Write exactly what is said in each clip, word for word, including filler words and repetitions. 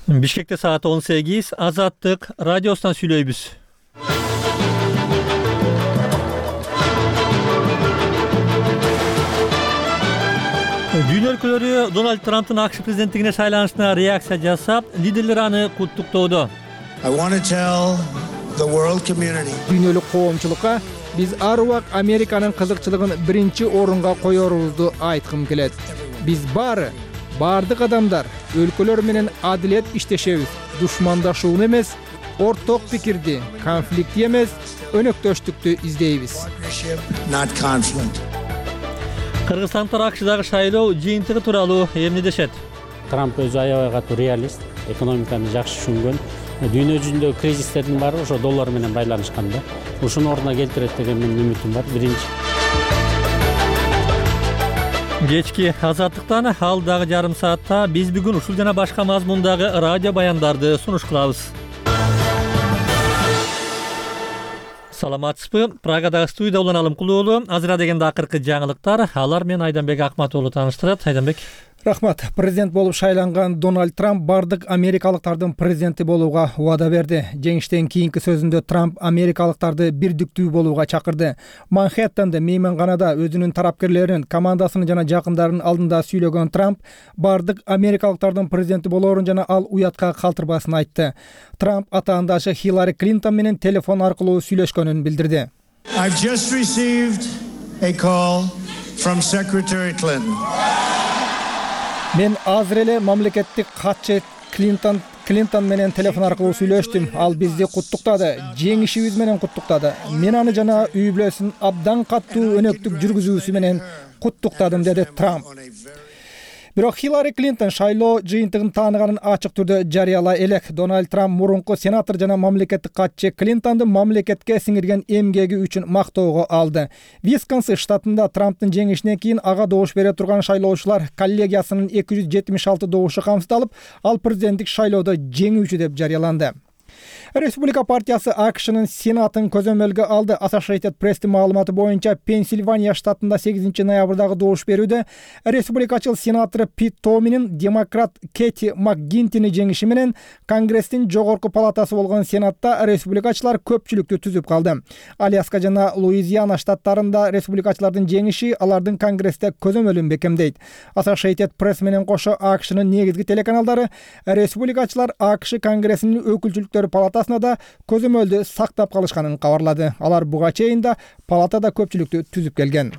Бишкекте саат он сегиз, Азаттык радиосунан сүйлөйбүз. Дүйнө өлкөлөрү Дональд Трамптын АКШ президенттигине шайланышына реакция жасап, лидерлер аны куттуктоодо. Дүйнөлүк коомчулукка биз ар убак Американын кызыкчылыгын биринчи орунга коерубузду айткым келет. Биз баары, бардык адамдар өлкөлөр менен адилет иштешебиз. Душмандашууну эмес, орток пикирди, конфликтти эмес, өнөктөштүктү издейбиз. Кыргызстандагы АКШдагы шайлоо жыйынтыгы тууралуу эмне дешет? Трамп өзү аябай катуу реалист, экономиканы жакшы түшүнгөн. Дүйнө жүзүндөгү кризистердин баары ошо доллар менен байланышкан да. Ушуну ордуна келтирет деген менин үмүтүм бар. Биринчи. Кечки Азаттыктан алдагы жарым саатта биз бүгүн ушул жана башка мазмундагы радио баяндарды сунуш кылабыз. Саламатсызбы? Прагадагы студияда улан Алымкул уулу. Азыра дегенде акыркы жаңылыктар. Алар менен Айданбек Акмат уулу тааныштырат. Айданбек. Рахмат. Президент болуп шайланган Дональд Трамп бардык америкалыктардын президенти болууга убада берди. Жеңиштен кийинки сөзүндө Трамп америкалыктарды бирдиктүү болууга чакырды. Манхэттенде мейманканада өзүнүн тарапкерлерин, командасынын жана жакындарын алдында сүйлөгөн Трамп бардык америкалыктардын президенти болоорун жана ал уятка калтырбасын айтты. Трамп атаандашы Хиллари Клинтон менен телефон аркылуу сүйлөшкөнүн билдирди. I've just received a call from Secretary Clinton. Мен азыр эле мамлекеттик катчы Клинтон Клинтон менен телефон аркылуу сүйлөштүм. Ал бизди куттуктады, жеңишибиз менен куттуктады. Мен аны жана үй бүлөсүн абдан катуу өнөктүк жүргүзүүсү менен куттуктадым, деди Трамп. Бирок Хиллари Клинтон шайлоо жыйынтыгын тааныганын ачык түрдө жарыялай элек. Дональд Трамп мурунку сенатор жана мамлекеттик катчы Клинтонду мамлекетке сиңирген эмгеги үчүн мактоого алды. Висконсин штатында Трамптын жеңишинен кийин ага добуш бере турган шайлоочулар коллегиясынын эки жүз жетимиш алты добушу камсыздалып, ал президенттик шайлоодо жеңүүчү деп жарыяланды. Республика партиясы АКШнын сенатын көзөмөлгө алды. Associated Press'тин маалыматы боюнча Пенсильвания штатында сегизинчи ноябрдагы добуш берүүдө республикачыл сенатору Пит Томинин демократ Кэти МакГинтини жеңиши менен Конгресстин жогорку палатасы болгон Сенатта республикачылар көпчүлүктү түзүп калды. Аляска жана Луизиана штаттарында республикачылардын жеңиши алардын Конгрессте көзөмөлүн бекемдейт. Associated Press менен кошо АКШнын негизги телеканалдары республикачылар АКШ Конгрессинин өкүлчүлүктөр палатасына да көзөмөлдү сактап калышканын кабарлады. Алар буга чейин да палатада көпчүлүктү түзүп келген.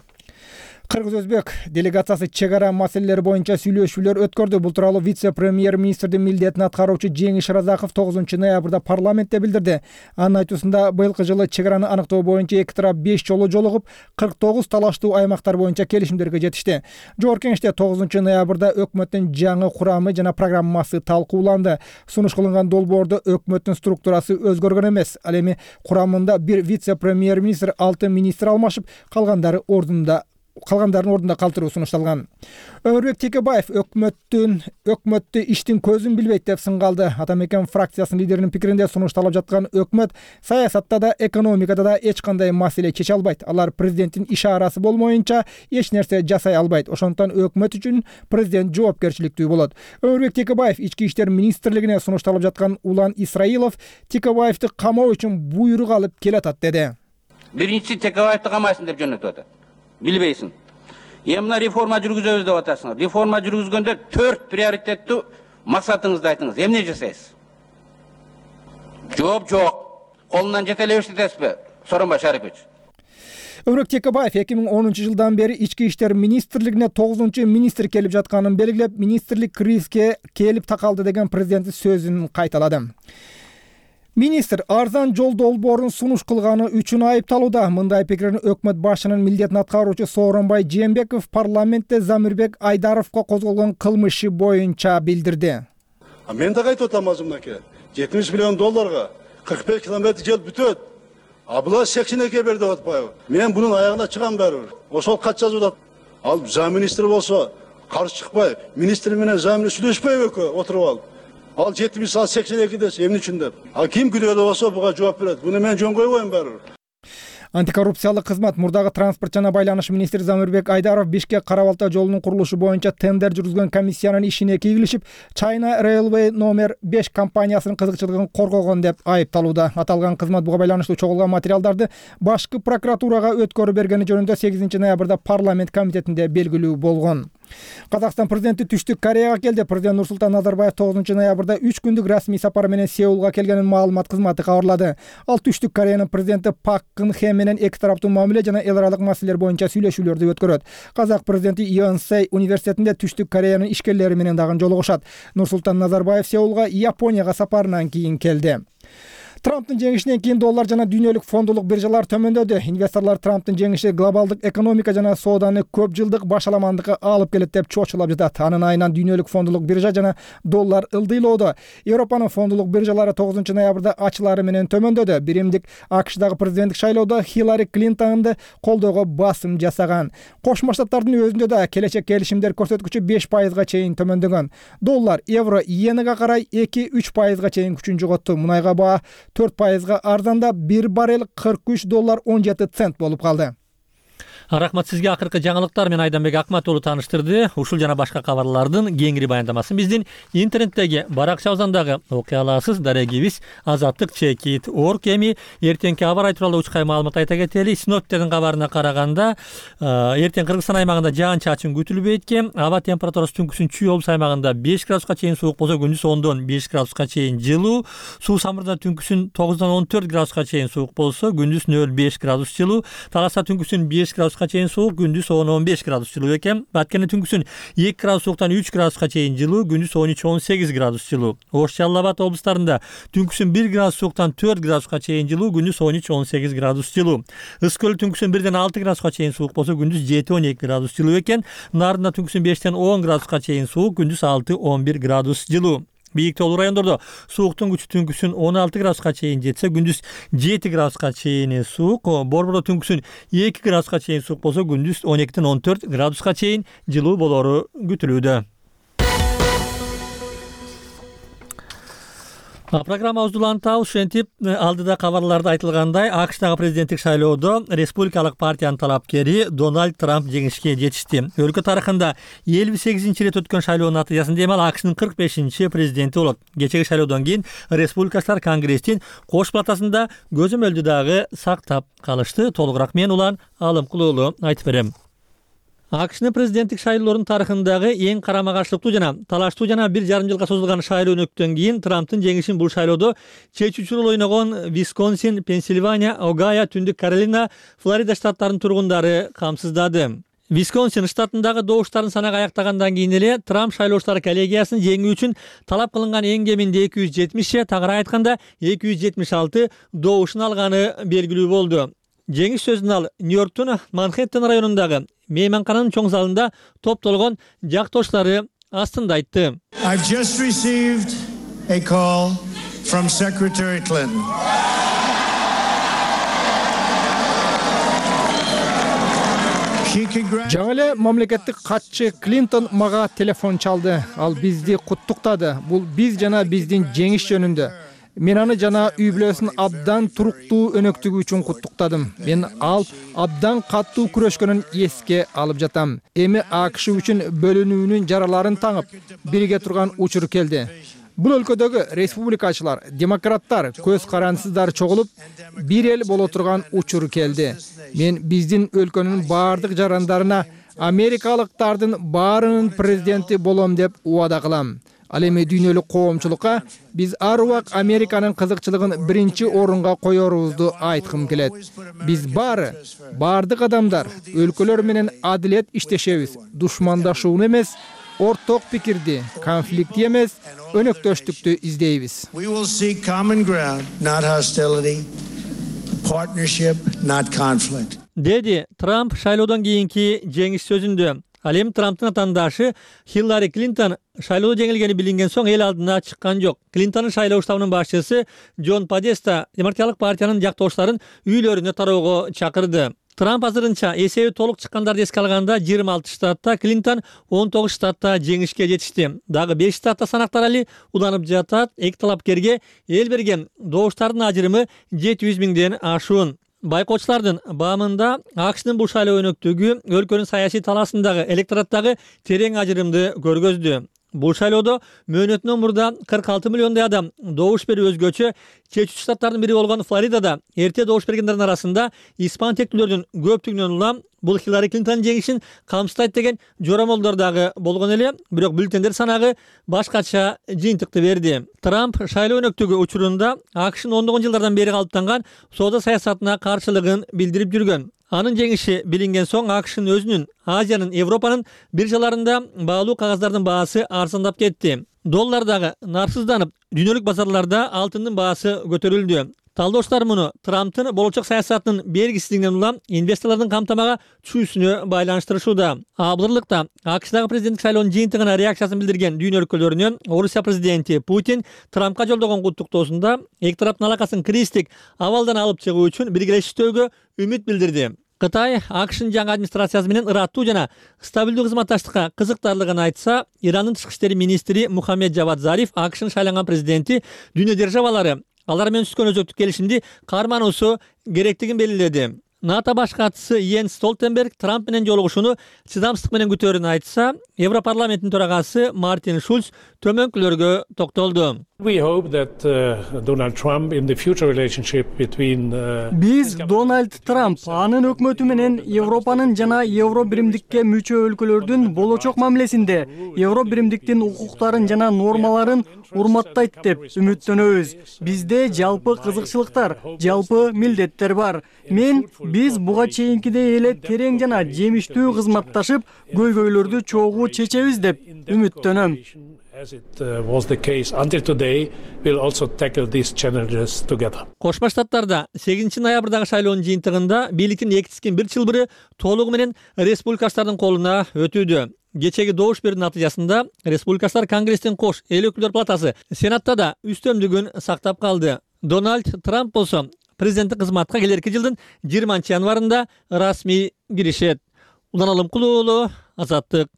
Кыргыз-Өзбек делегациясы чек ара маселелери боюнча сүйлөшүүлөр өткөрдү. Бул тууралуу вице-премьер-министрдин милдетин аткаруучу Жеңиш Разаков тогузунчу ноябрда парламентте билдирди. Анын айтуусунда быйылкы жылы чек араны аныктоо боюнча эки тарап беш жолу жолугуп, кырк тогуз талаштуу аймактар боюнча келишимдерге жетишти. Жогорку Кеңеште тогузунчу ноябрда өкмөттүн жаңы курамы жана программасы талкууланды. Сунуш кылынган долбоордо өкмөттүн структурасы өзгөргөн эмес. Ал эми курамында бир вице-премьер-министр, алты министр алмашып, калгандары ордунда калгандардын ордунда калтыруу сунушталган. Өмүрбек Текебаев өкмөттүн өкмөттү иштин көзүн билбейт деп сынгалды. Атамекен фракциясынын лидеринин пикиринде сунушталып жаткан өкмөт саясатта да, экономикада да эч кандай маселе чече албайт. Алар президенттин ишарасы болмоюнча эч нерсе жасай албайт. Ошондуктан өкмөт үчүн президент жоопкерчиликтүү болот. Өмүрбек Текебаев ички иштер министрлигине сунушталып жаткан Улан Исраилов Текебаевди камоо үчүн буйрук алып келатат деди. Биринчи Текебаевди камайсың деп жөнөтүп атат. Билбейсиң. Эмне реформа жүргүзөбүз деп атасыңар. Реформа жүргүзгөндө төрт приоритеттүү максатыңызды айтыңыз. Эмне жасайсыз? Жооп жок. Колунан жете эле иштетесизби? Сооронбай Шарипович. Өмүрбек Текебаев эки миң онунчу жылдан бери ички иштер министрлигине тогузунчу министр келип жатканын белгилеп, министрлик кризиске келип такалды деген президенттин сөзүн кайталады. Министр арзан жол долбоорун сунуш кылганы үчүн айыпталууда. Мындай пикирин өкмөт башчынын милдетин аткаруучу Сооронбай Жээнбеков парламентте Замирбек Айдаровго козголгон кылмышы боюнча билдирди. А мен да айтып атам азымнаке. жетимиш миллион долларга кырк беш километр жол бүтөт. А булар сексен эки берди деп атпайбы? Мен бунун аягына чыгам барыбыр. Ошол кат жазып. Ал замминистр болсо каршы чыкпай, министр менен замминистр сүйлөшпөйбү экөө отуруп алып. Ал жетимиш ал сексен эки десе эмне үчүн деп. Ал ким күнөөлүү болсо буга жооп берет. Буну мен жөн койбойм барыбыр. Антикоррупциялык кызмат мурдагы транспорт жана байланыш министри Замирбек Айдаров Бишкек Кара Балта жолунун курулушу боюнча тендер жүргүзгөн комиссиянын ишине кийгилишип, China Railway номер беш компаниясынын кызыкчылыгын коргогон деп айыпталууда. Аталган кызмат буга байланыштуу чогулган материалдарды башкы прокуратурага өткөрүп бергени жөнүндө сегизинчи ноябрда парламент комитетинде белгилүү болгон. Казакстан президенти Түштүк Кореяга келди. Президент Нурсултан Назарбаев тогузунчу ноябрда үч күндүк расмий сапар менен Сеулга келгенин маалымат кызматы кабарлады. Ал Түштүк Кореянын президенти Пак Кын Хе менен эки тараптуу мамиле жана эл аралык маселелер боюнча сүйлөшүүлөрдү өткөрөт. Казак президенти Йонсей университетинде Түштүк Кореянын ишкерлери менен дагы жолугушат. Нурсултан Назарбаев Сеулга Японияга сапарынан кийин келди. Трамптын жеңишинен кийин доллар жана дүйнөлүк фондулук биржалар төмөндөдү. Инвесторлор Трамптын жеңиши глобалдык экономика жана сооданы көп жылдык башаламандыкка алып келет деп чочулап жатат. Анын айынан дүйнөлүк фондулук биржа жана доллар ылдыйлоодо. Европанын фондулук биржалары тогузунчу ноябрда ачылары менен төмөндөдү. Биримдик АКШдагы президенттик шайлоодо Хиллари Клинтонду колдоого басым жасаган. Кошмо Штаттардын өзүндө да келечек келишимдер көрсөткүчү беш пайызга чейин төмөндөгөн. Доллар, евро, иенага карай эки-үч пайызга чейин күчүн жоготту. Мунайга баа төрт пайызга арзанда бир баррель кырк үч доллар он жети цент болуп калды. Рахмат сизге. Акыркы жаңылыктар менен Айданбек Акматуулу тааныштырды. Ушул жана башка кабарлардын кеңири баяндамасын биздин интернеттеги баракчабыздан дагы окуй аласыз. Дарегибиз азаттык чекит орг. Эми эртеңки аба ырайы тууралуу учкай маалымат айта кетели. Синоптиктердин кабарына караганда эртең Кыргызстан аймагында жаан чачын күтүлбөйт экен. Аба температурасы түнкүсүн Чүй облус аймагында беш градуска чейин суук болсо, күндүз ондон беш градуска чейин жылуу. Суу самырда түнкүсүн тогуздан он төрт градуска чейин суук болсо, күндүз нөл беш градус жылуу. Таласта түнкүсүн беш градуска чейин суук, күндүз он он беш градус жылуу экен. Баткенде түнкүсүн эки градус сууктан үч градуска чейин жылуу, күндүз он үч он сегиз градус жылуу. Ош Жалал Абад облустарында түнкүсүн бир градус сууктан төрт градуска чейин жылуу, күндүз он үч он сегиз градус жылуу. Ысык көл түнкүсүн бирден алты градуска чейин суук болсо, күндүз жети он эки градус жылуу экен. Нарында түнкүсүн бештен он градуска чейин суук, күндүз алты он бир градус жылуу. Бийик тоолуу райондордо сууктун күчү түнкүсүн он алты градуска чейин жетсе, күндүз жети градуска чейин суук. Борбордо түнкүсүн эки градуска чейин суук болсо, күндүз он экиден он төрт градуска чейин жылуу болору күтүлүүдө. Программабызды улантабыз. Ушинтип алдыда кабарларда айтылгандай, АКШдагы президенттик шайлоодо республикалык партиянын талапкери Дональд Трамп жеңишке жетишти. Өлкө тарыхында элүү сегизинчи ирет өткөн шайлоонун натыйжасында эми ал АКШнын кырк бешинчи президенти болот. Кечеги шайлоодон кийин республикачылар конгресстин кош палатасында көзөмөлдү дагы сактап калышты. Толугураак мен Улан Алымкулуу айтып берем. АКШнын президенттик шайлоолорунун тарыхындагы эң карама каршылыктуу жана талаштуу жана бир жарым жылга созулган шайлоо өнөктөн кийин Трамптын жеңишин бул шайлоодо чечүүчү роль ойногон Висконсин, Пенсильвания, Огайо, Түндүк Каролина, Флорида штаттарынын тургундары камсыздады. Висконсин штатындагы добуштардын санагы аяктагандан кийин эле Трамп шайлоочулар коллегиясын жеңүү үчүн талап кылынган эң кеминде эки жүз жетимиш, тагыраак айтканда эки жүз жетимиш алты добушун алганы белгилүү болду. Жеңиш сөзүн ал Нью-Йорктун Манхэттен районундагы мейманкананын чоң залында топтолгон жактоштары астында айтты. I've just received a call from Secretary Clinton. Жаңы эле мамлекеттик катчы Клинтон мага телефон чалды. Ал бизди куттуктады. Бул биз жана биздин жеңиш жөнүндө. Мен аны жана үй бүлөсүн абдан туруктуу өнөктүгү үчүн куттуктадым. Мен ал абдан каттуу күрөшкөнүн эске алып жатам. Эми АКШ үчүн бөлүнүүнүн жараларын таңып, бирге турган учур келди. Бул өлкөдөгү республикачылар, демократтар, көз карансыздар чогулуп, бир эл боло турган учур келди. Мен биздин өлкөнүн баардык жарандарына америкалыктардын баарынын президенти болом деп убада кылам. Ал эми дүйнөлүк коомчулукка биз ар убак Американын кызыкчылыгын биринчи орунга коерубузду айткым келет. Биз баары, баардык адамдар өлкөлөр менен адилет иштешебиз. Душмандашууну эмес, орток пикирди, конфликти эмес, өнөктөштүктү издейбиз. We will seek common ground, not hostility, partnership, not conflict. Деди Трамп шайлоодон кийинки жеңиш сөзүндө. Ал эми Трамптын атандашы Хиллари Клинтон шайлоодо жеңилгени билинген соң эл алдына чыккан жок. Клинтонун шайлоо штабынын башчысы Джон Падеста демократиялык партиянын жактоочуларын үйлөрүнө тароого чакырды. Трамп азырынча эсеби толук чыккандарды эске алганда жыйырма алты штатта, Клинтон он тогуз штатта жеңишке жетишти. Дагы беш штатта санактар али уланып жатат. Эки талапкерге эл берген добуштардын ажырымы жети жүз миңден ашуун. байкоочулардын баамында АКШнын бул шайлоо өнөктүгү өлкөнүн саясий талаасындагы электораттагы терең ажырымды көргөздү. Бул шайлоодо мөөнөтүнөн мурда кырк алты миллиондой адам добуш берип өзгөчө чечүүчү штаттардын бири болгон Флоридада эрте добуш бергендердин арасында испан тектүүлөрдүн көптүгүнөн улам бул Хиллари Клинтондун жеңишин камсыздайт деген жорамолдор дагы болгон эле, бирок бюллетендер санагы башкача жыйынтыкты берди. Трамп шайлоо өнөктүгү учурунда АКШнын ондогон жылдардан бери калыптанган соода саясатына каршылыгын билдирип жүргөн. Анын жеңиши билинген соң АКШнын өзүнүн Азиянын, Европанын биржаларында баалуу кагаздардын баасы арзандап кетти. Доллар дагы нарсызданып, дүйнөлүк базарларда алтындын баасы көтөрүлдү. Талдоочулар муну Трамптын болочок саясатынын белгисиздигинен улам инвесторлордун камтамага түшүүсүнө байланыштырышууда. Абдырлыкта АКШдагы президенттик шайлоонун жыйынтыгына реакциясын билдирген дүйнө өлкөлөрүнөн Орусия президенти Путин Трампка жолдогон куттуктоосунда эки тараптын алакасын криздик абалдан алып чыгуу үчүн бирге иштөөгө үмүт билдирди. Кытай АКШнын жаңы администрациясы менен ыраттуу жана стабилдүү кызматташтыкка кызыктарлыгын айтса, Ирандын тышкы иштери министри Мухаммед Жавад Зариф АКШнын шайланган президенти дүйнө державалары алар менен түзгөн өзөктүк келишимди кармануусу керектигин белгиледи. НАТО баш катчысы Йенс Столтенберг Трамп менен жолугушууну чыдамсыздык менен күтөөрүн айтса, Европарламенттин төрагасы Мартин Шульц төмөнкүлөргө токтолду. We hope that uh, Donald Trump in the future relationship between uh, Биз Дональд Трамп анын өкмөтү менен Европанын жана Евро биримдикке мүчө өлкөлөрдүн болочок мамилесинде Евро биримдиктин укуктарын жана нормаларын урматтайт деп үмүттөнөбүз. Бизде жалпы кызыкчылыктар, жалпы милдеттер бар. Мен биз буга чейинкидей эле терең жана жемиштүү кызматташып, көйгөйлөрдү чогуу чечебиз деп үмүттөнөм. As it uh, was the case until today, we'll also tackle these challenges together. Кошмо Штаттарда сегизинчи ноябрдагы шайлоонун жыйынтыгында бийликтин эки тискин бир чылбыры толугу менен республикачтардын колуна өтүүдө. Кечеги добуш берүү натыйжасында республикачтар Конгресстин кош эл өкүлдөр палатасы Сенатта да үстөмдүгүн сактап калды. Дональд Трамп болсо президенттик кызматка келерки жылдын жыйырманчы январында расмий киришет. Улан Алымкулуу уулу, Азаттык.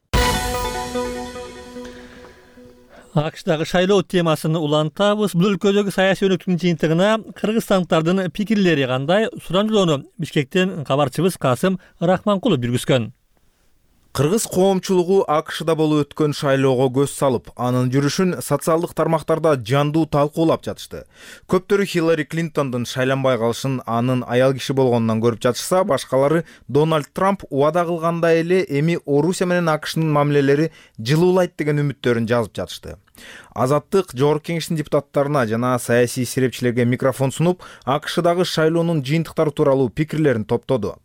АКШдагы шайлоо темасын улантабыз. Бул өлкөдөгү саясий өнөктүктүн жыйынтыгына кыргызстандыктардын пикирлери кандай? Сурамжылоону Бишкектен кабарчыбыз Касым Рахманкулов жүргүзгөн. Кыргыз коомчулугу АКШда болуп өткөн шайлоого көз салып, анын жүрүшүн социалдык тармактарда жандуу талкуулап жатышты. Көптөрү Хиллари Клинтондун шайланбай калышын анын аял киши болгонунан көрүп жатышса, башкалары Дональд Трамп убада кылгандай эле эми Орусия менен АКШнын мамилелери жылуулайт деген үмүттөрүн жазып жатышты. Азаттык Жогорку Кеңештин депутаттарына жана саясий серепчилерге микрофон сунуп, АКШдагы шайлоонун жыйынтыктары тууралуу пикирлерин топтоду.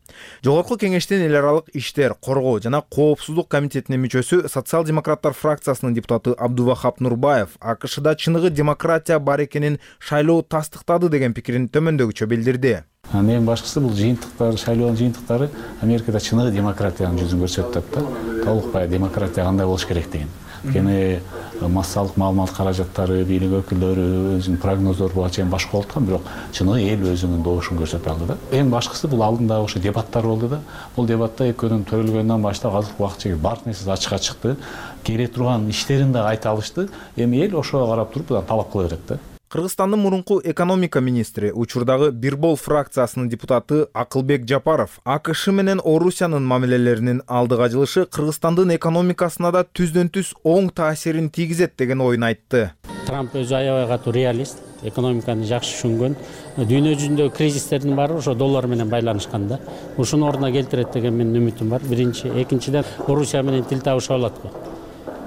Жогорку Кеңештин эл аралык иштер, коргоо жана коопсуздук комитетинин мүчөсү социал-демократтар фракциясынын депутаты Абдувахап Нурбаев АКШда чыныгы демократия бар экенин шайлоо тастыктады деген пикирин төмөндөгүчө билдирди. Анын эң башкысы бул жыйынтыктар, шайлоонун жыйынтыктары Америкада чыныгы демократиянын жүзүн көрсөтүп атат да. Толук бай демократия кандай болуш керек деген. Кene массалык маалымат каражаттары, бийлик өкүлдөрү өзүнүн прогноздору буга чейин башка болуп аткан, бирок чыныгы эл өзүнүн добушун көрсөтүп алды да. Эң башкысы бул алдында ошо дебаттар болду да. Бул дебатта экөөнүн төрөлгөндөн баштап азыркы убакытча баардык нерсе ачыкка чыкты. Кере турган иштерин да айта алышты. Эми эл ошого карап туруп будан талап кыла берет да. Кыргызстандын мурунку экономика министри, учурдагы Бирбол фракциясынын депутаты Акылбек Жапаров АКШ менен Орусиянын мамилелеринин алдыга жылышы Кыргызстандын экономикасына да түздөн түз оң таасирин тийгизет деген ойун айтты. Трамп өзү аябай катуу реалист, экономиканы жакшы түшүнгөн. Дүйнө жүзүндөгү кризистердин баары ошо доллар менен байланышкан да. Ушуну ордуна келтирет деген менин үмүтүм бар. Биринчи, экинчиден Орусия менен тил табыша алат го.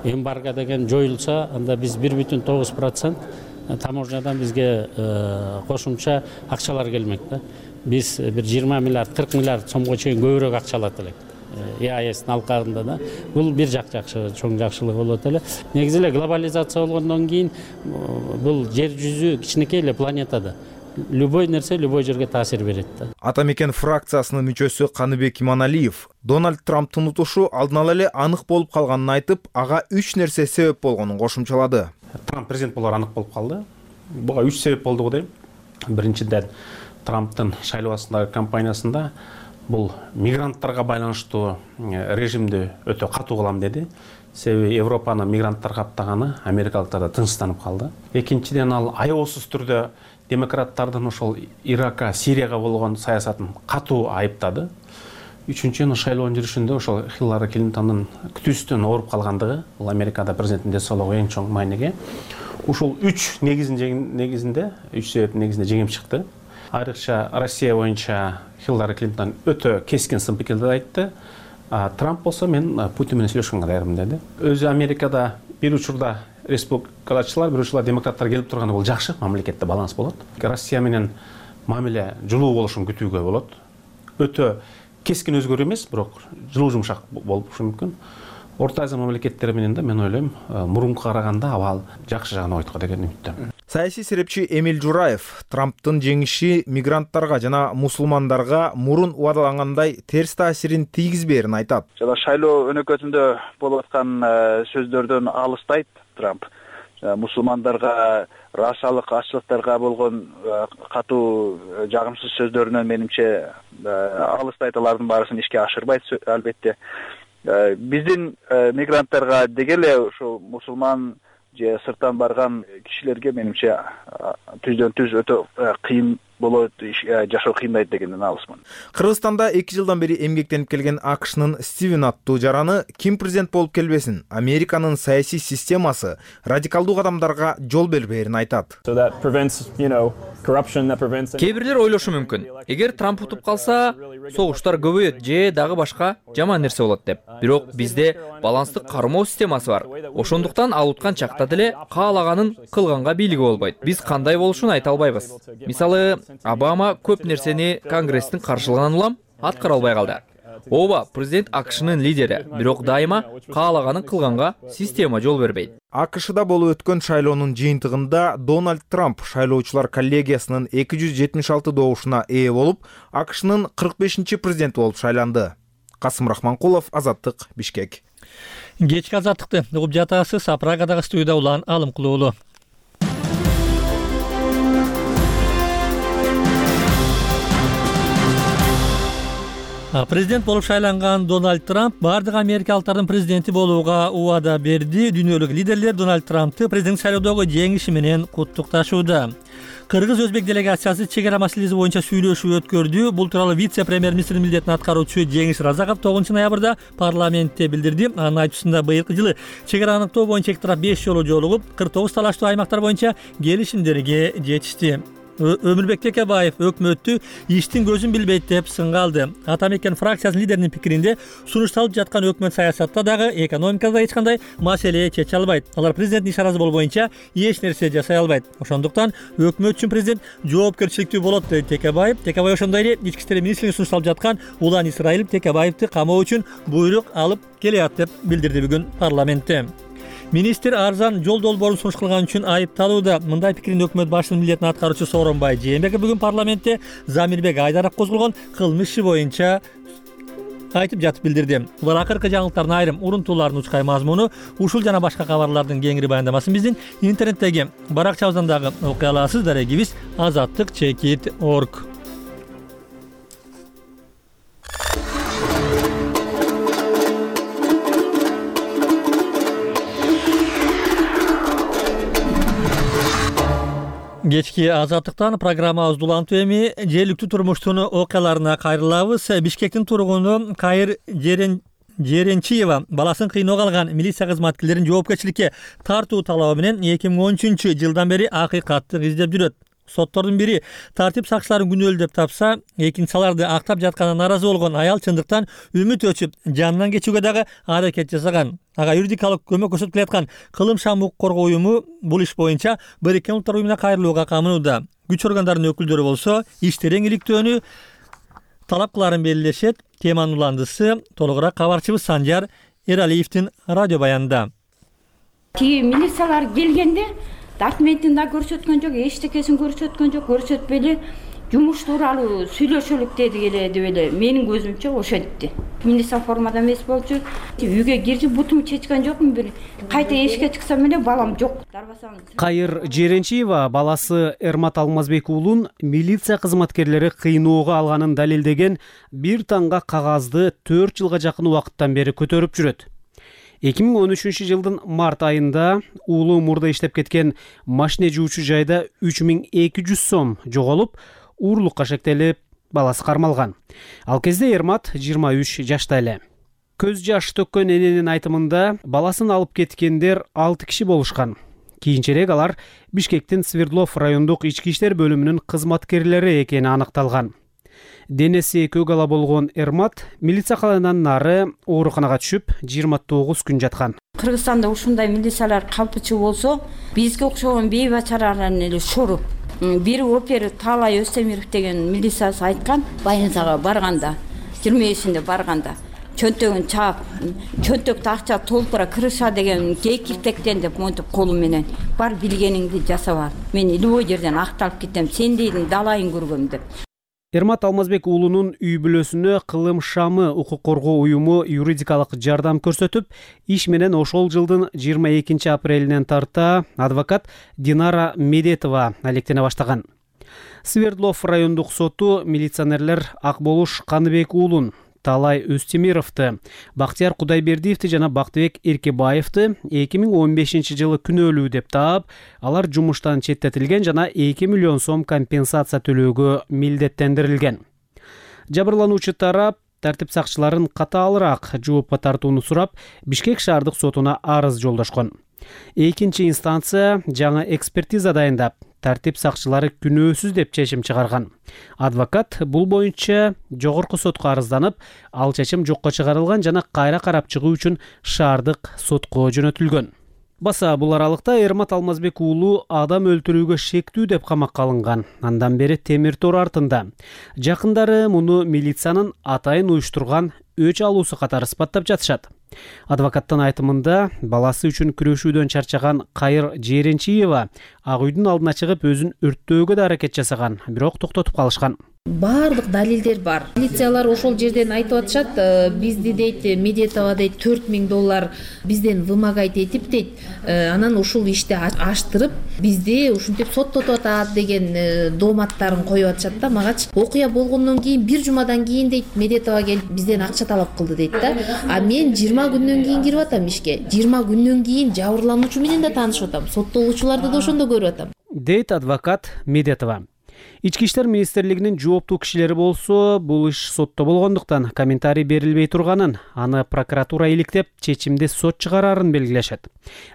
Эмбарго деген жоюлса, анда биз бир бүтүн тогуз процент таможнядан бизге кошумча акчалар келмек да. Биз бир жыйырма миллиард, кырк миллиард сомго чейин көбүрөөк акча алат элек. ЕАЭСтин алкагында да. Бул бир жак жакшы, чоң жакшылык болот эле. Негизи эле глобализация болгондон кийин бул жер жүзү кичинекей эле планета да. Любой нерсе любой жерге таасир берет да. Атамекен фракциясынын мүчөсү Каныбек Иманалиев Дональд Трамптын утушу алдын ала эле анык болуп калганын айтып, ага үч нерсе себеп болгонун кошумчалады. Трамп президент болор анык болуп калды. Буга үч себеп болду го дейм. Биринчиден, Трамптын шайлоо астындагы кампаниясында бул мигранттарга байланыштуу режимди өтө катуу кылам деди. Себеби Европаны мигранттар каптаганы америкалыктар да тынчсызданып калды. Экинчиден, ал аябасыз түрдө демократтардын ошол Иракка, Сирияга болгон саясатын катуу айыптады. Үчүнчү, шайлоонун жүрүшүндө ошол Хиллари Клинтондун күтүүсүнөн ооруп калгандыгы, бул Америкада президенттин денсаулыгы эң чоң мааниге. Ушул үч негизинде, үч себептин негизинде жеңип чыкты. Айрыкча Россия боюнча Хиллари Клинтон өтө кескин сын пикирди айтты. Трамп болсо мен Путин менен сүйлөшкөнгө даярмын деди. Өзү Америкада бир учурда республикачылар, бир учурда демократтар келип турганы бул жакшы, мамлекетте баланс болот. Россия менен мамиле жылуу болушун күтүүгө болот. Өтө кескин өзгөрүү эмес, бирок жылуу жумшак болушу мүмкүн. Орто Азия мамлекеттери менен да мен ойлойм, мурунку караганда абал жакшы жагына ойткон деген үмүттөмүн. Саясий серепчи Эмиль Жураев Трамптын жеңиши мигранттарга жана мусулмандарга мурун убадалангандай терс таасирин тийгизбээрин айтат. Жана шайлоо өнөкөтүндө болуп аткан сөздөрдөн алыстайт Трамп. Мусулмандарга, расалык ачылыктарга болгон катуу жагымсыз сөздөрүнөн менимче алыстайт, алардын баарысын ишке ашырбайт албетте. Биздин мигранттарга деги эле ошо мусулман же сырттан барган кишилерге менимче түздөн түз өтө кыйын болот, жашоо кыйындайт дегенден алысмын. Кыргызстанда эки жылдан бери эмгектенип келген АКШнын Стивен аттуу жараны ким президент болуп келбесин, Американын саясий системасы радикалдуу кадамдарга жол бербээрин айтат. Кээ бирлер ойлошу мүмкүн, эгер Трамп утуп калса, согуштар көбөйөт же дагы башка жаман нерсе болот деп. Бирок бизде баланстык кармоо системасы бар. Ошондуктан ал уткан чакта деле каалаганын кылганга бийлиги болбойт. Биз кандай болушун айта албайбыз. Мисалы, Обама көп нерсени Конгресстин каршылыгынан улам аткара албай калды. Ооба, президент АКШнын лидери, бирок дайыма каалаганын кылганга система жол бербейт. АКШда болуп өткөн шайлоонун жыйынтыгында Дональд Трамп шайлоочулар коллегиясынын эки жүз жетимиш алты добушуна ээ болуп, АКШнын кырк бешинчи президенти болуп шайланды. Касым Рахманкулов, Азаттык, Бишкек. Кечки Азаттыкты угуп жатасыз. Прагадагы студияда Улан Алымкулуулу. Президент болуп шайланган Дональд Трамп бардык америкалыктардын президенти болууга убада берди. Дүйнөлүк лидерлер Дональд Трампты президент шайлоодогу жеңиши менен куттукташууда. Кыргыз-өзбек делегациясы чек ара маселеси боюнча сүйлөшүү өткөрдү. Бул тууралуу вице-премьер-министрдин милдетин аткаруучу Жеңиш Разаков тогузунчу ноябрда парламентте билдирди. Анын айтуусунда быйылкы жылы чек араны аныктоо боюнча эки тарап беш жолу жолугуп, кырк тогуз талаштуу аймактар боюнча келишимдерге жетишти. Өмүрбек Текебаев өкмөттү иштин көзүн билбейт деп сынгалды. Атамекен фракциясынын лидеринин пикиринде сунушталып жаткан өкмөт саясатта дагы экономикада эч кандай маселе чече албайт. Алар президенттин иш аразы болуу боюнча эч нерсе жасай албайт. Ошондуктан өкмөт үчүн президент жоопкерчиликтүү болот деди Текебаев. Текебаев ошондой эле ички иштер министринин сунушталып жаткан Улан Исраилов Текебаевди камоо үчүн буйрук алып келет деп билдирди бүгүн парламентте. Министр арзан жол долбоорун сунуш кылган үчүн айыпталууда. Мындай пикирин өкмөт башчынын милдетин аткаруучу Сооронбай Жээнбеков бүгүн парламентте Замирбек Айдаров козголгон кылмыш иши боюнча айтып жатып билдирди. Булар акыркы жаңылыктардын айрым урунтууларынын учкай мазмуну. Ушул жана башка кабарлардын кеңири баяндамасын биздин интернеттеги баракча абзандагы окуй аласыз. Дарегибиз азаттык чекит точка орг. Кечки азаттыктан программабызды улантуу эми жергиликтүү турмуштун окуяларына кайрылабыз. Бишкектин тургуну Кайыр Жеренчиева баласын кыйноого алган милиция кызматкерлерин жоопкерчиликке тартуу талабы менен эки миң он үчүнчү жылдан бери акыйкатты издеп жүрөт. Соттордун бири тартип сакчыларын күнөөлүү деп тапса, экинчи аларды актап жатканына нааразы болгон аял чындыктан үмүт өчүп, жанынан кечүүгө дагы аракет жасаган. Ага юридикалык көмөк көрсөтүп келаткан Кылымшам укук коргоо уюму бул иш боюнча Бириккен Улуттар уюмуна кайрылууга камынууда. Күч органдарынын өкүлдөрү болсо иштер эңиликтөөнү талап кыларын белгилешет. Теманын уландысы толугураак кабарчыбыз Санжар Эралиевдин радио баянында. Тиги милициялар келгенде документин да көрсөткөн жок, эчтекесин көрсөткөн жок, көрсөтпөйлү жумуш тууралуу сүйлөшөлүк деди эле деп эле менин көзүмчө ошентти. Милиция формада эмес болчу. Үйгө кирди, бутумду чечкен жокмун, бир кайта эшикке чыксам эле балам жок. Кайыр Жеренчиева баласы Эрмат Алмазбек уулун милиция кызматкерлери кыйноого алганын далилдеген бир танга кагазды төрт жылга жакын убакыттан бери көтөрүп жүрөт. эки миң он үчүнчү жылдын март айында уулу мурда иштеп кеткен машине жуучу жайда үч миң эки жүз сом жоголуп, уурлукка шектелип, баласы кармалган. Ал кезде Эрмат жыйырма үч жашта эле. Көз жаш төккөн эненин айтымында баласын алып кеткендер алты киши болушкан. Кийинчерээк алар Бишкектин Свердлов райондук ички иштер бөлүмүнүн кызматкерлери экени аныкталган. Денеси көк ала болгон Эрмат милиция калайынан нары ооруканага түшүп, жыйырма тогуз күн жаткан. Кыргызстанда ушундай милициялар калпычы болсо, бизге окшогон бейбачараларын эле шору. Бир опер Таалай Өстемиров деген милициясы айткан, больницага барганда, жыйырма бешинде барганда, чөнтөгүн чаап, чөнтөктө акча толтура кырыша деген кекиртектен деп монтип колу менен бар билгениңди жасап ал. Мен любой жерден акталып кетем, сен дейдин далайын көргөм деп. Эрмат Алмазбек уулунун үй бүлөсүнө Кылым шамы укук коргоо уюму юридикалык жардам көрсөтүп, иш менен ошол жылдын жыйырма экинчи апрелинен тарта адвокат Динара Медетова алектене баштаган. Свердлов райондук соту милиционерлер Акболуш Каныбек уулун, Таалай Өстемировду, Бактияр Кудайбердиевди жана Бактыбек Эркебаевди эки миң он бешинчи жылы күнөөлүү деп таап, алар жумуштан четтетилген жана эки миллион сом компенсация төлөөгө милдеттендирилген. Жабырлануучу тарап тартип сакчыларын катаалыраак жоопко тартууну сурап, Бишкек шаардык сотуна арыз жолдошкон. Экинчи инстанция жаңы экспертиза дайындап, тартип сакчылары күнөөсүз деп чечим чыгарган. Адвокат бул боюнча жогорку сотко арызданып, ал чечим жокко чыгарылган жана кайра карап чыгуу үчүн шаардык сотко жөнөтүлгөн. Баса бул аралыкта Эрмат Алмазбек уулу адам өлтүрүүгө шектүү деп камакка алынган. Андан бери темир тор артында. Жакындары муну милициянын атайын уюштурган өч алуусу катары сыпаттап жатышат. Адвокаттын айтымында баласы үчүн күрөшүүдөн чарчаган Кайыр Жеренчиева Ак үйдүн алдына чыгып өзүн өрттөөгө да аракет жасаган, бирок токтотуп калышкан. Баардык далилдер бар. Милициялар ошол жерден айтып атышат, бизди дейт Медетова дейт төрт миң доллар бизден вымогать этип дейт. Анан ушул ишти аштырып, бизди ушинтип соттотуп атат деген дооматтарын коюп атышат да. Магачы окуя болгондон кийин бир жумадан кийин дейт Медетова келип бизден акча талап кылды дейт да. А мен жыйырма күндөн кийин кирип атам ишке. жыйырма күндөн кийин жабырлануучу менен да таанышып атам. Соттолуучуларды да ошондо көрүп атам. Дейт адвокат Медетова. Ички иштер министрлигинин жооптуу кишилери болсо, бул иш сотто болгондуктан комментарий берилбей турганын, аны прокуратура иликтеп, чечимди сот чыгарарын белгилешет.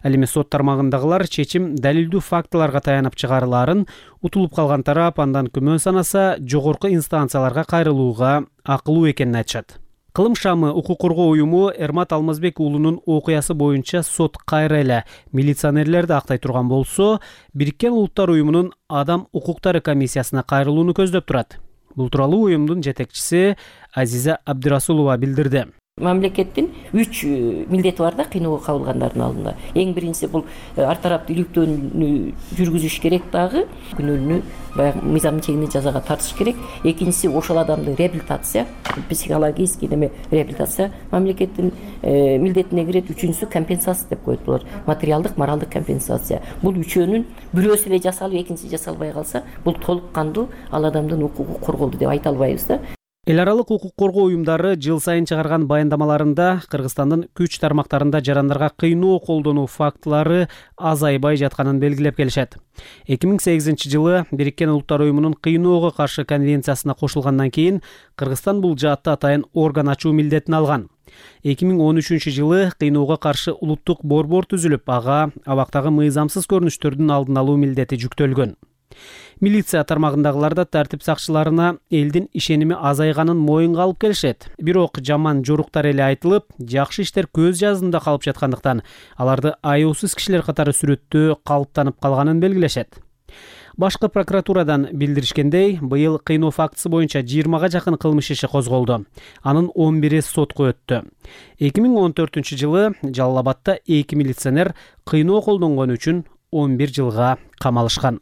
Ал эми сот тармагындагылар чечим далилдүү фактыларга таянып чыгарыларын, утулуп калган тарап андан күмөн санаса, жогорку инстанцияларга кайрылууга акылуу экенин айтышат. Кылым шамы укук коргоо уюму Эрмат Алмазбек уулунун окуясы боюнча сот кайра эле милиционерлерди актай турган болсо, Бириккен Улуттар уюмунун адам укуктары комиссиясына кайрылууну көздөп турат. Бул тууралуу уюмдун жетекчиси Азиза Абдырасулова билдирди. Мамлекеттин үч милдети бар да кыйноого кабылгандардын алдында. Эң биринчиси бул ар тараптуу иликтөөнү жүргүзүш керек дагы, күнөөлүүнү баягы мыйзам чегинде жазага тартыш керек. Экинчиси ошол адамды реабилитация, психологический неме реабилитация мамлекеттин милдетине кирет. Үчүнчүсү компенсация деп коет булар. Материалдык, моралдык компенсация. Бул үчөөнүн бирөөсү эле жасалып, экинчиси жасалбай калса, бул толук кандуу ал адамдын укугу корголду деп айта албайбыз да. Эл аралык укук коргоо уюмдары жыл сайын чыгарган баяндамаларында Кыргызстандын күч тармактарында жарандарга кыйноо колдонуу фактылары азайбай жатканын белгилеп келишет. эки миң сегизинчи жылы Бириккен Улуттар уюмунун кыйноого каршы конвенциясына кошулгандан кийин Кыргызстан бул жаатта атайын орган ачуу милдетин алган. эки миң он үчүнчү жылы кыйноого каршы улуттук борбор түзүлүп, ага абактагы мыйзамсыз көрүнүштөрдүн алдын алуу милдети жүктөлгөн. Милиция тармагындагылар да тартип сакчыларына элдин ишеними азайганын моюнга алып келишет. Бирок жаман жоруктар эле айтылып, жакшы иштер көз жазында калып жаткандыктан аларды аяусыз кишилер катары сүрөттөө калыптанып калганын белгилешет. Башкы прокуратурадан билдиришкендей, быйыл кыйноо фактысы боюнча жыйырмага жакын кылмыш иши козголду. Анын он бири сотко өттү. эки миң он төртүнчү жылы Жалал Абадта эки милиционер кыйноо колдонгон үчүн он бир жылга камалышкан.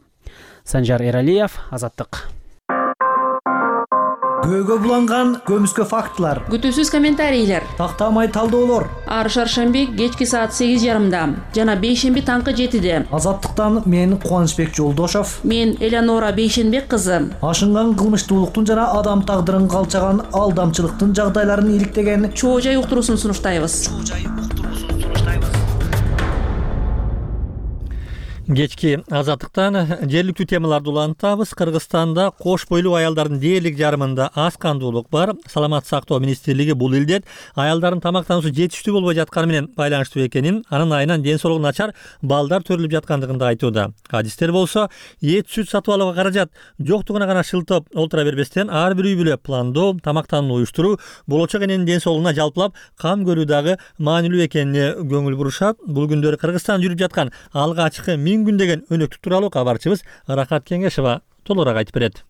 Санжар Эралиев, Азаттык. Көөгө буланган көмүскө фактылар, күтүүсүз комментарийлер, тактамай талдоолор. Ар шаршемби кечки саат сегиз жарымда жана бейшемби таңкы жетиде. Азаттыктан мен Кубанычбек Жолдошов, мен Элеонора Бейшенбек кызы. Ашынган кылмыштуулуктун жана адам тагдырын калчаган алдамчылыктын жагдайларын иликтеген чоо жай уктуруусун сунуштайбыз. Кечки азаттыктан жергиликтүү темаларды улантабыз. Кыргызстанда кош бойлуу аялдардын дээрлик жарымында аз кандуулук бар. Саламаттык сактоо министрлиги бул илдет аялдардын тамактануусу жетиштүү болбой жатканы менен байланыштуу экенин, анын айынан ден соолугу начар балдар төрүлүп жаткандыгын да айтууда. Адистер болсо, эт сүт сатып алууга каражат жоктугуна гана шылтап олтура бербестен ар бир үй бүлө пландоо, тамактанууну уюштуруу, болочок эненин ден соолугуна жалпылап кам көрүү дагы маанилүү экенине көңүл бурушат. Бул күндөрү Кыргызстанда жүрүп жаткан алгачкы миң күн деген өнөктүк тууралуу кабарчыбыз Рахат Кеңешова толугураак айтып берет.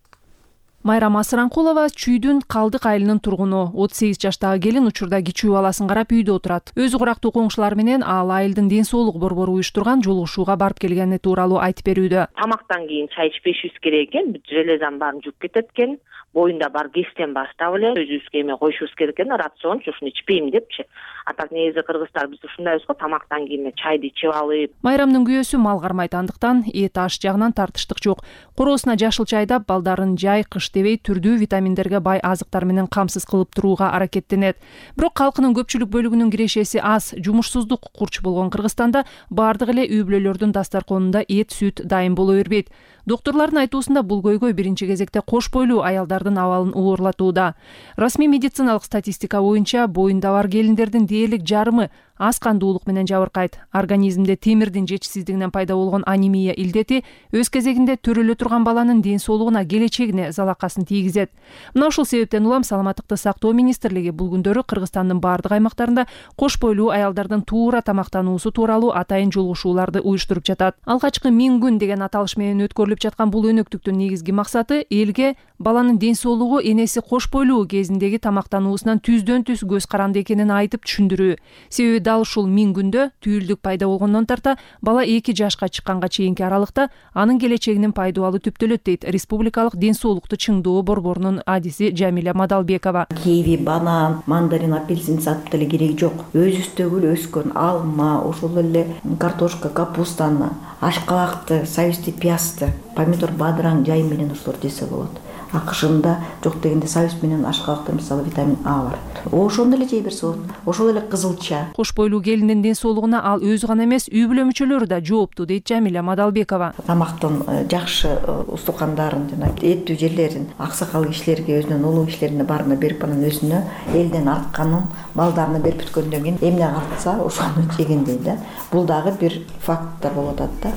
Майрам Асыранкулова Чүйдүн Калдык айылынын тургуну. отуз сегиз жаштагы келин учурда кичүү баласын карап үйдө отурат. Өзү курактуу коңшулар менен ал айылдын ден соолук борбору уюштурган жолугушууга барып келгени тууралуу айтып берүүдө. Тамактан кийин чай ичпешибиз керек экен, железанын баарын жууп кетет экен. Боюнда бар кестен баштап эле өзүбүзгө эме коюшубуз керек экен, рациончу ушуну ичпейм депчи. А так негизи кыргыздар биз ушундайбыз го, тамактан кийин чайды ичип алып. Майрамдын күйөөсү мал кармайт, андыктан эт аш жагынан тартыштык жок. Короосуна жашыл чайдап, балдарын жай кыш дебей түрдүү витаминдерге бай азыктар менен камсыз кылып турууга аракеттенет. Бирок калкынын көпчүлүк бөлүгүнүн кирешеси аз, жумушсуздук курч болгон Кыргызстанда бардык эле үй бүлөлөрдүн дастарконунда эт, сүт дайым боло бербейт. Доктурлардын айтуусунда бул көйгөй биринчи кезекте кош бойлуу аялдардын абалын оорлатууда. Расмий медициналык статистика боюнча боюнда бар келиндердин дээрлик жарымы аз кандуулук менен жабыркайт. Организмде темирдин жетишсиздигинен пайда болгон анемия илдети өз кезегинде төрөлө турган баланын ден соолугуна, келечегине залакасын тийгизет. Мына ушул себептен улам Саламаттыкты сактоо министрлиги бул күндөрү Кыргызстандын бардык аймактарында кош бойлуу аялдардын туура тамактануусу тууралуу атайын жолугушууларды уюштуруп жатат. Алгачкы миң күн деген аталыш менен өткөрүлүп жаткан бул өнөктүктүн негизги максаты элге баланын ден соолугу энеси кош бойлуу кезиндеги тамактануусунан түздөн түз көз каранды экенин айтып түшүндүрүү. Себеби дал ушул миң күндө түйүлдүк пайда болгондон тарта бала эки жашка чыкканга чейинки аралыкта анын келечегинин пайдубалы түптөлөт дейт Республикалык ден соолукту чыңдоо борборунун адиси Жамиля Мадалбекова. Киви, банан, мандарин, апельсин сатып деле кереги жок. Өзүбүздөгү өскөн алма, ошол эле картошка, капустаны, ашкабакты, сабизди, пиязды, помидор, бадыраң жай менен ошолорду жесе болот. Акышында жок дегенде сабиз менен ашкабакта мисалы витамин А бар. Ошондо эле жей берсе болот. Ошол эле кызылча. Кош бойлуу келиндин ден соолугуна ал өзү гана эмес, үй бүлө мүчөлөрү да жооптуу дейт Жамиля Мадалбекова. Тамактын жакшы устукандарын жана эттүү жерлерин аксакал кишилерге, өзүнүн улуу кишилерине баарына берип, анан өзүнө элден артканын балдарына берип бүткөндөн кийин эмне калтса ошону жеген дейт. Бул дагы бир факттар болуп атат да.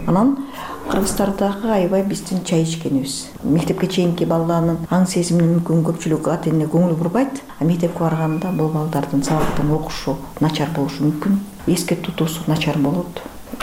Анан Кыргызстардагы аябай биздин чай ичкенибиз. Мектепке чейинки балдардын аң сезимине мүмкүн көпчүлүк ата эне көңүл бурбайт, а мектепке барганда бул балдардын сабактан окушу начар болушу мүмкүн, эске тутуусу начар болот,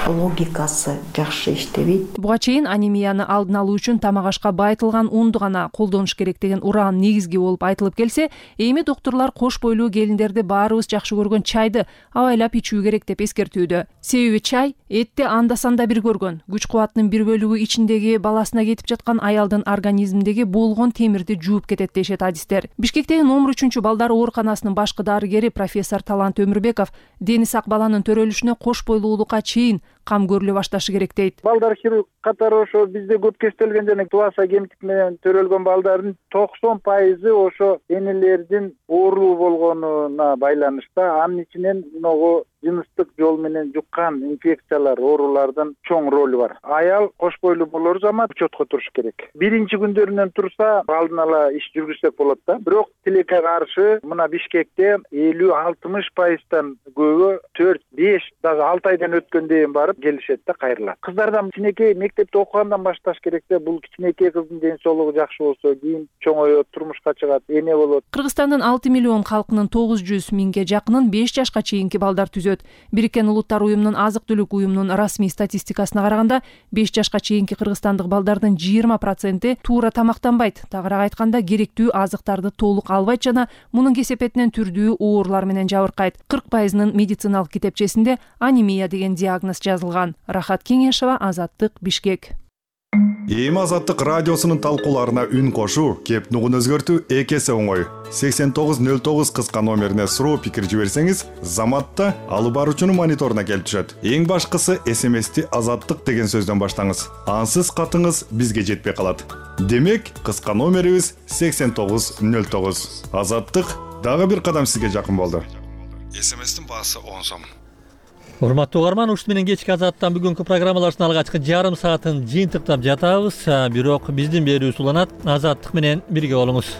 логикасы жакшы иштебейт. Буга чейин анемияны алдын алуу үчүн тамак ашка байытылган унду гана колдонуш керек деген уран негизги болуп айтылып келсе, эми доктурлар кош бойлуу келиндерди баарыбыз жакшы көргөн чайды абайлап ичүү керек деп эскертүүдө. Себеби чай этти анда-санда бир көргөн, күч кубатынын бир бөлүгү ичиндеги баласына кетип жаткан аялдын организминдеги болгон темирди жууп кетет дешет адистер. Бишкектеги номер үчүнчү балдар ооруканасынын башкы дарыгери профессор Талант Өмүрбеков дени сак баланын төрөлүшүнө кош бойлуулукка чейин кам көрүлө башташы керек дейт. Балдар хирург катары ошо бизде көп кестелген жана туаса гемтик менен төрөлгөн балдардын токсон пайызы ошо энелердин оорулуу болгонуна байланышта, анын ичинен могу жыныстык жол менен жуккан инфекциялар, оорулардын чоң ролу бар. Аял кош бойлуу болор замат учетко туруш керек. Биринчи күндөрүнөн турса, алдын ала иш жүргүзсөк болот да. Бирок тилекке каршы мына Бишкекте элүү алтымыш пайыздан көбү төрт беш дагы алты айдан өткөндөн барып келишет да кайрылат. Кыздардан кичинекей мектепте окугандан башташ керек да. Бул кичинекей кыздын ден соолугу жакшы болсо, кийин чоңоет, турмушка чыгат, эне болот. Кыргызстандын алты миллион калкынын тогуз жүз миңге жакынын беш жашка чейинки балдар түзөт. Бириккен Улуттар уюмунун азык-түлүк уюмунун расмий статистикасына караганда, беш жашка чейинки кыргызстандык балдардын жыйырма проценти туура тамактанбайт. Тагыраак айтканда, керектүү азыктарды толук албайт жана мунун кесепетинен түрдүү оорулар менен жабыркайт. кырк пайызынын медициналык китепчесинде анемия деген диагноз жазылган. Рахат Кеңешова, Азаттык, Бишкек. Эми Азаттык радиосунун талкууларына үн кошуу, кеп нугун өзгөртүү эки эсе оңой. сексен тогуз нөл тогуз кыска номерине суроо пикир жиберсеңиз, заматта алып баруучунун мониторуна келип түшөт. Эң башкысы эс эм эсти Азаттык деген сөздөн баштаңыз. Ансыз катыңыз бизге жетпей калат. Демек, кыска номерибиз сексен тогуз нөл тогуз. Азаттык дагы бир кадам сизге жакын болду. эс эм эстин баасы он сом. Урматтуу угарман, ушун менен кечки Азаттан бүгүнкү программалардын алгачкы жарым саатын жыйынтыктап жатабыз. Бирок биздин берүүбүз уланат. Азаттык менен бирге болуңуз.